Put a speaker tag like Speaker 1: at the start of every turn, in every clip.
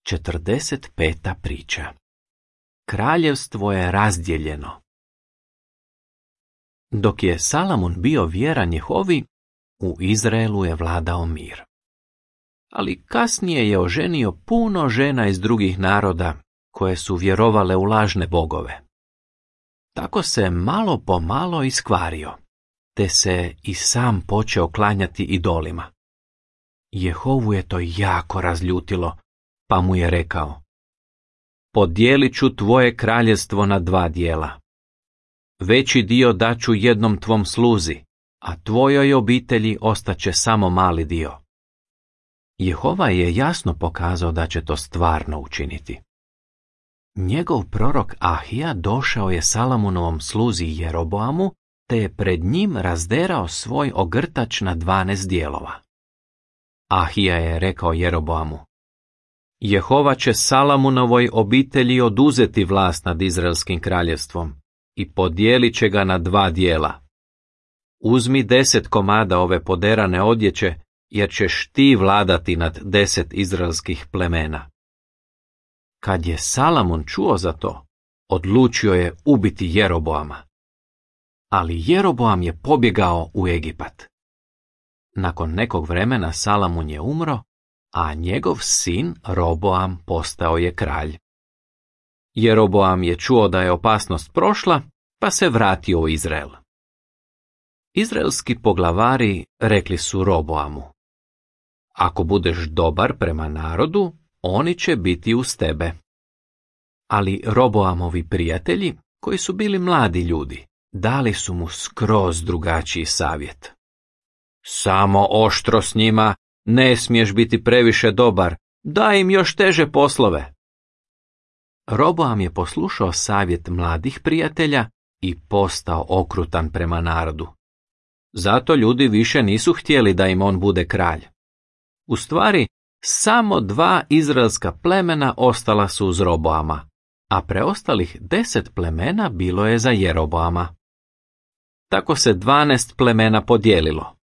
Speaker 1: 45. priča. Kraljevstvo je razdijeljeno. Dok je Salamun bio vjeran Jehovi, u Izraelu je vladao mir. Ali kasnije je oženio puno žena iz drugih naroda, koje su vjerovale u lažne bogove. Tako se malo po malo iskvario, te se i sam počeo klanjati idolima. Jehovu je to jako razljutilo, pa mu je rekao: podijelit ću tvoje kraljevstvo na 2 dijela. Veći dio daću jednom tvom sluzi, a tvojoj obitelji ostaće samo mali dio. Jehova je jasno pokazao da će to stvarno učiniti. Njegov prorok Ahija došao je Salamunovom sluzi Jeroboamu, te je pred njim razderao svoj ogrtač na 12 dijelova. Ahija je rekao Jeroboamu: Jehova će Salamunovoj obitelji oduzeti vlast nad Izraelskim kraljevstvom i podijelit će ga na 2 dijela. Uzmi 10 komada ove poderane odjeće, jer ćeš ti vladati nad 10 izraelskih plemena. Kad je Salamun čuo za to, odlučio je ubiti Jeroboama. Ali Jeroboam je pobjegao u Egipat. Nakon nekog vremena Salamun je umro, a njegov sin Roboam postao je kralj. Jeroboam je čuo da je opasnost prošla, pa se vratio u Izrael. Izraelski poglavari rekli su Roboamu: ako budeš dobar prema narodu, oni će biti uz tebe. Ali Roboamovi prijatelji, koji su bili mladi ljudi, dali su mu skroz drugačiji savjet. Samo oštro s njima, ne smiješ biti previše dobar, daj im još teže poslove. Roboam je poslušao savjet mladih prijatelja i postao okrutan prema narodu. Zato ljudi više nisu htjeli da im on bude kralj. U stvari, samo 2 izraelska plemena ostala su uz Roboama, a preostalih 10 plemena bilo je za Jeroboama. Tako se 12 plemena podijelilo.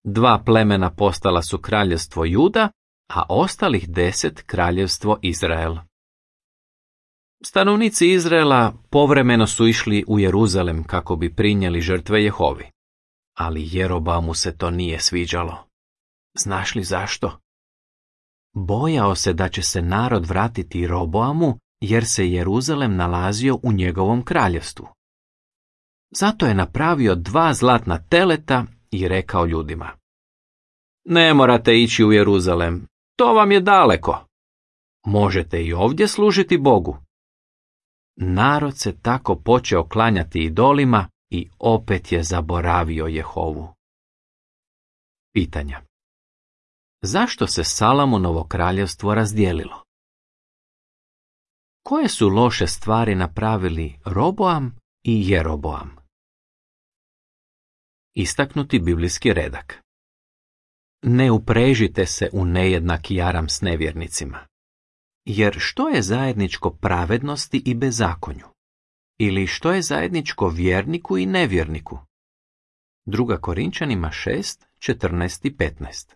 Speaker 1: 2 plemena postala su kraljevstvo Juda, a ostalih 10 kraljevstvo Izrael. Stanovnici Izraela povremeno su išli u Jeruzalem kako bi prinijeli žrtve Jehovi. Ali Jeroboamu se to nije sviđalo. Znaš li zašto? Bojao se da će se narod vratiti Roboamu, jer se Jeruzalem nalazio u njegovom kraljevstvu. Zato je napravio 2 zlatna teleta i rekao ljudima: ne morate ići u Jeruzalem, to vam je daleko. Možete i ovdje služiti Bogu. Narod se tako počeo klanjati idolima i opet je zaboravio Jehovu. Pitanja. Zašto se Salamunovo kraljevstvo razdijelilo? Koje su loše stvari napravili Roboam i Jeroboam? Istaknuti biblijski redak. Ne uprežite se u nejednaki jaram s nevjernicima. Jer što je zajedničko pravednosti i bezakonju? Ili što je zajedničko vjerniku i nevjerniku? 2. Korinčanima 6, 14 i 15.